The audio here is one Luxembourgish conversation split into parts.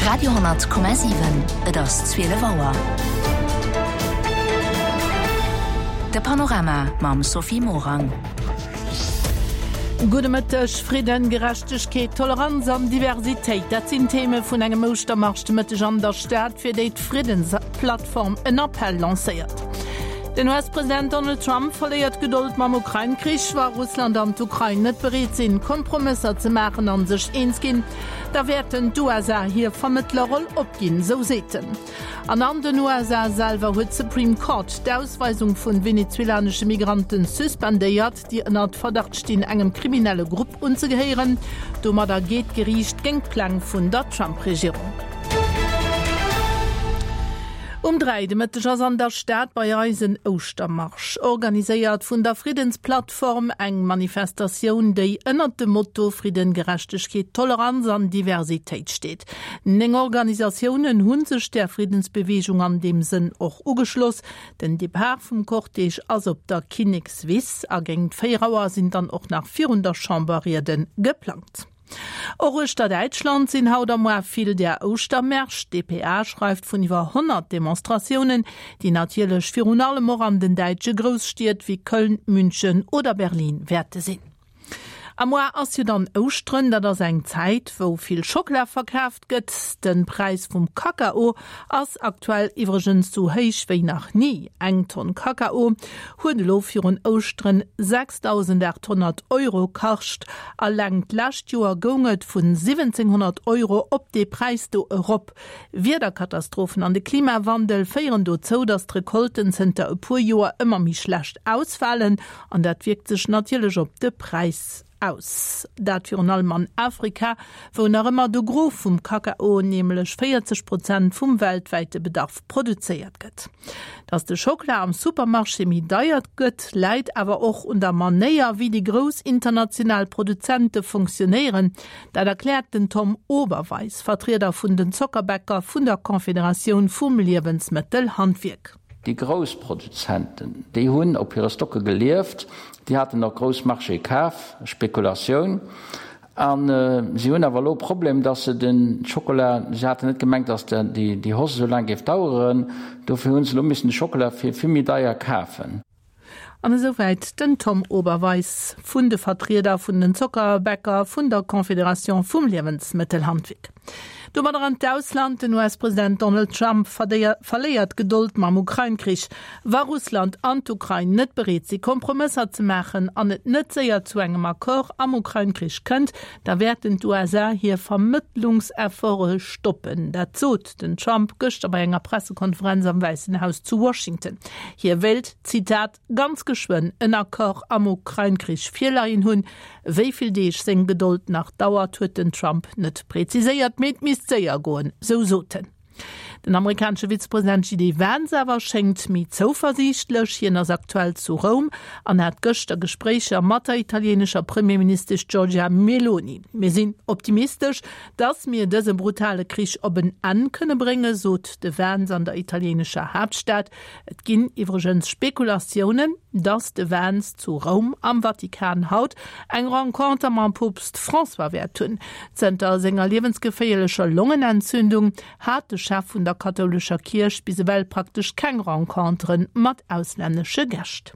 Radio,7 Et ass 12 Auer. De Panorama mam Sophie Morang. Gudde Mëtteg. Fridden, Gerechtegkeet, Toleranz an Diversitéit, dat sinn d'Theme vun engem Ouschtermarsch de Mëtteg an der Stad, fir déi d'Friddensplattform en Appell lancéiert. Den US-President Donald Trump verléiert d'Gedold mam Ukrain-Krich. Wa Russland an d'Ukrain net bereet sinn, Kompromësser ze maachen an sech eens ginn, da wäerten d'USA hir Vermëttlerroll opginn, sou seet en. An an den USA selwer huet d'Supreme Court d'Ausweisung vun venezuelanesche Migranten suspendéiert, déi ënnert Verdacht stinn, engem kriminelle Grupp unzegehéieren. Domadder geet d'Geriicht géint d'Pläng vun der Trump-Regierung. Um 3 de Mëtteg ass an der Stad bei eis en Ouschtermarsch, organiséiert vun der Friddensplattform. Eng Manifestatioun, déi ënnert dem Motto Fridden, Gerechtegkeet, Toleranz an Diversitéit steet. 9 Organisatiounen hu sech där Friddensbeweegung an deem Sënn och ugeschloss. Den Depart vum Cortège ass op der Kinnekswiss a géint 4 Auer sinn dann och nach virun der Chamber Riede geplangt. Och uechter Däitschland sinn haut a moar vill där Ouschtermärsch. D'dpa schreift vun iwwer 100 Demonstratiounen, déi natierlech virun allem och an den däitsche Grousstied wéi Köln, München oder Berlin wäerte sinn. A moar ass jo dann Ouschteren, dat ass eng Zäit wou vill Schockela verkaaft gëtt. Den Präis vum Kakao ass aktuell iwwregens sou héich wéi nach ni. Eng Tonn Kakao huet elo virun Ouschteren 6.800 Euro kascht. Alleng d'lescht Joer goung et vun 1.700 Euro op dee Präis do erop. Wiederkatastrophen an de Klimawandel féieren dozou, datt d'Recolten zënter e puer Joer ëmmer méi schlecht ausfalen. An dat wierkt sech natierlech op de Präis aus. Dat virun allem an Afrika, wou nach ëmmer de Gros vum Kakao, nämlech 40 Prozent vum weltwäite Bedarf, produzéiert gëtt. Datt de Schockela am Supermarché méi deier gëtt, läit awer och un der Manéier, wéi déi grouss international Produzente fonctionéieren. Dat erkläert den Tom Oberweis, Vertrieder vun den Zockerbäcker vun der Confederatioun vum Liewensmëttelhandwierk. Déi grouss Produzenten, déi hunn op hire Stocke gelieft, déi haten och grouss Marchéë kaf, Spekulatioun. A si hunn awer elo e Problem, datt se de Schokola, si haten net gemengt, datt déi Hausse esou laang géif daueren, dofir hu se elo missen de Schokola fir vill méi deier kafen. An esouwäit den Tom Oberweis vun de Vertrieder vun den Zockerbäcker vun der Confédération vum Liewensmëttelhandwierk. Domadder an d'Ausland, Den US-President Donald Trump verléiert d'Gedold mam Ukrain-Krich. Wa Russland an d'Ukrain net bereet si Kompromësser ze maachen an et net séier zu engem Accord am Ukrain-Krich kënnt, da wäerten d'USA hir Vermëttlungsefforte stoppen. Dat sot den Trump gëschter bei enger Pressekonferenz am Wäissen Haus zu Washington. Hie wéilt, Zitat, ganz geschwënn en Accord am Ukrain-Krich virleien hunn. Wéi vill Deeg seng Gedold nach dauert, huet den Trump net preziséiert, mee et misst séier goen, sou sot en. Den amerikanesche Vizepresident JD Vance awer schéngt méi zouversiichtlech. Hien ass aktuell zu Roum an hat gëschter Gespréicher mat der italieenescher Premierministesch Giorgia Meloni. Mir sinn optimistesch, Datt mir dëse brutale Krich op en Enn kënne bréngen, sot de Vance an der italieenescher Haaptstad. Et ginn iwwregens Spekulatiounen, datt de Vance zu Roum am Vatikan haut eng Renconter mam Poopst François wäert hunn. Zënter senger liewensgeféierlecher Longenentzündung hat de Chef vun der kathoulescher Kierch bis ewell praktesch keng Rencontere mat auslännesche Gäscht.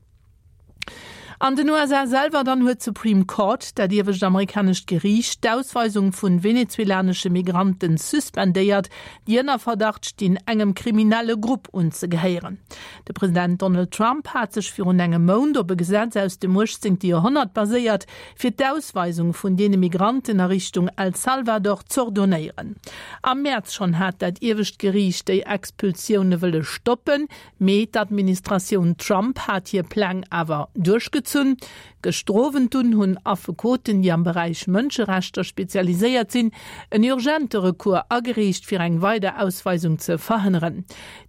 An den USA selwer dann huet d'Supreme Court, dat iewescht amerikanescht Geriicht, d'Ausweisung vun venezuelanesche Migranten suspendéiert, déi ënner Verdacht stinn, engem kriminelle Grupp unzegehéieren. De President Donald Trump hat sech virun engem Mount op e Gesetz aus dem 18. Joerhonnert baséiert, fir d'Ausweisung vun deene Migranten a Richtung El Salvador z'ordonéieren. Am Mäerz schonn hat dat iewescht Geriicht déi Expulsioune wëlle stoppen, Mee d'Administratioun Trump hat hir Pläng awer duerchgezunn. Gëschter Owend dunn hunn Affekoten, déi am Beräich Mënscherechter spezialiséiert sinn, en urgente Recours agereecht, fir eng weider Ausweisung ze verhënneren.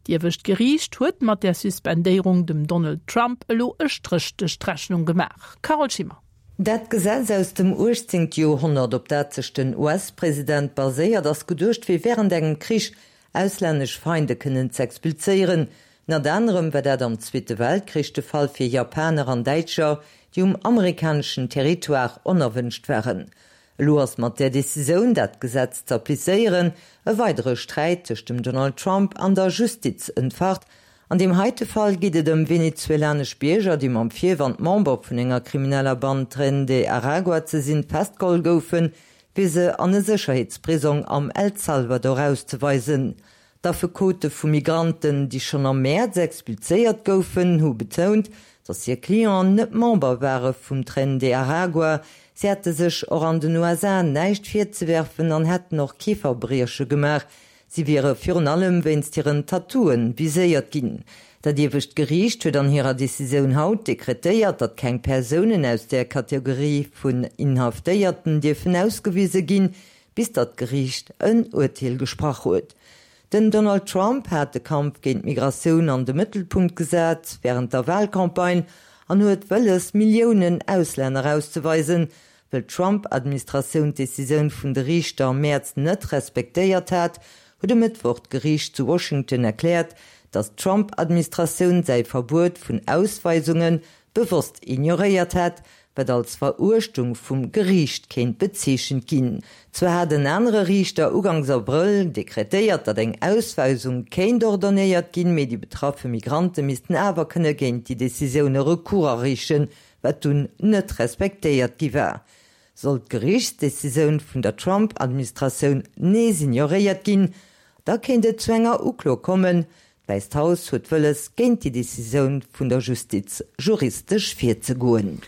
D'Iewescht Geriicht huet mat där Suspendéierung dem Donald Trump elo e Stréch duerch d'Rechnung gemaach. Carole Schimmer. Dat Gesetz aus dem 18. Joerhonnert, op dat sech den US-President baséiert, ass geduecht, fir wärend engem Krich auslännesch Feinde kënnen z'expulséieren. Ënnert anerem war dat am Zweete Weltkrich de Fall fir Japaner an Däitscher, déi um amerikaneschen Territoire onerwënscht waren. Elo ass mat där Decisioun, dat Gesetz z'applizéieren, e weidere Sträit tëscht dem Donald Trump an der Justiz entfacht. An deem heite Fall geet et ëm venezuelanesch Bierger, déi mam Virwand, Member vun enger krimineller Band Tren de Aragua ze sinn, festgeholl goufen, fir se an e Sécherheetsprisong am El Salvador auszeweisen. D'Affekote vu Migranten, déi schonn am Mäerz expulséiert goufen, hu betount, datt hir Clienten net Member ware vum Tren de Aragua. Si hätte sech och an den USA näischt virzewerfen an hätten och kee Verbrieche gemaach. Si wiere virun allem wéinst hiren Tattooe viséiert ginn. Dat iewescht Geriicht huet an hirer Decisioun haut dekretéiert, datt keng Persounen aus där Kategorie vun Inhaftéierten dierfen ausgewise ginn, bis datt d'Geriicht en Urteel gesprach huet. Den Donald Trump hat de Kampf géint d'Migratioun an de Mëttelpunkt gesat wärend der Walcampagne an huet wëlles, Milliounen Auslänner auszeweisen. Wëll d'Trump-Administratioun d'Decisioun vun de Riichter am Mäerz net respektéiert hat, huet e Mëttwoch d'Geriicht zu Washington erkläert, datt d'Trump-Administratioun säi Verbuet vun Ausweisunge bewosst ignoréiert hätt, wat als Veruechtung vum Geriicht kéint bezeechent ginn. Zwar hat en anere Riichter ugangs Abrëll dekretéiert, datt eng Ausweisung kéint ordonnéiert ginn, mee déi betraffe Migrante missten awer kënne géint déi Decisioun e Recours areechen, wat dunn net respektéiert gi war. Sollt d'Geriichtsdecisioun vun der Trump-Administratioun nees ignoréiert ginn, da kéint et zu enger Uklo kommen, D'Wäisst Haus huet wëlles, géint déi Decisioun vun der Justiz juristesch virzegoen.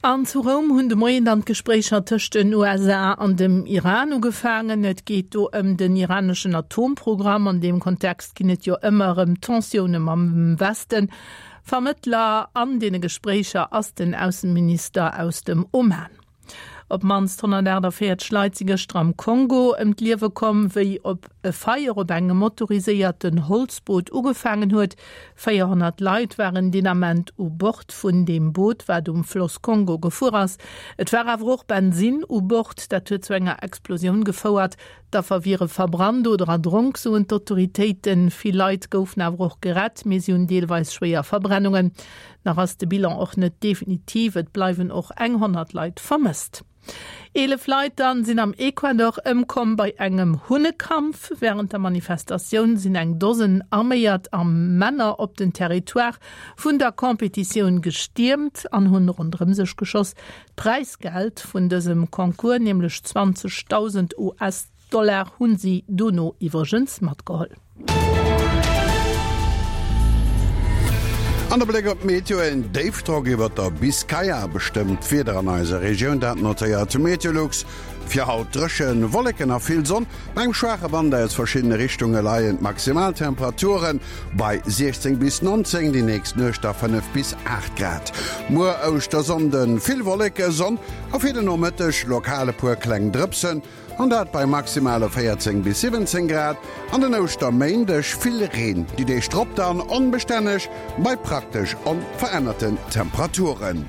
An zu Roum hunn de Moien dann d'Gespréicher tëscht den USA an dem Iran ugefaangen. Et geet do ëm den iraneschen Atomprogramm. An deem Kontext ginn et jo ëmmer erëm Tensioune mam Westen. Vermëttler an deene Gespréicher ass den Ausseminister aus dem Oman. Op d'mannst 148 Leit si gëschter am Kongo ëm d'Liewe komm, wéi op e Feier op engem motoriséierten Holzboot ugefaangen huet. 400 Leit waren deen Ament u Bord vun deem Boot, wat um Floss Kongo gefuer ass. Et war awer och Bensinn u Bord, dat huet zu enger Explosioun gefouert. D'Affer wiere verbrannt oder erdronk, soen d'Autoritéiten. Vill Leit goufen awer och gerett, mee si hunn deelweis schwéier Verbrennungen. Nach ass de Bilan och net definitiv, et bleiwen och eng 100 Leit vermësst. 11 Leit dann sinn am Ecuador ëmkomm bei engem Hunnekampf. Wärend der Manifestatioun sinn eng Dosen arméiert a Männer op den Territoire vun der Competitioun gestiermt an hunn ronderëm sech geschoss. D'Präisgeld vun dësem Concours, nämlech 20.000 US. Dollar hunn si dono iwwregens matgeholl. An de Bléck op d'Meteo, En Déifdrock iwwert der Biskaya bestëmmt d'Wieder an eiser Regioun, dat notéiert Meteolux. Fir haut dréchen, Wolleken a vill Sonn bei engem schwaache Wand aus verschiddene Richtunge leien d'Maximaltemperature bei 16 bis 19, déi nächst Nuecht da 5 bis 8 Grad. Muer Ouschtersonnden vill Wolleke, Sonn a fir de Nomëtteg lokal e puer kleng Drëpsen. An dat bei maximale 14 bis 17 Grad. An den Ouschterméindeg vill Reen, déi Deeg drop dann onbestänneg bei praktesch onverännerten Temperaturen.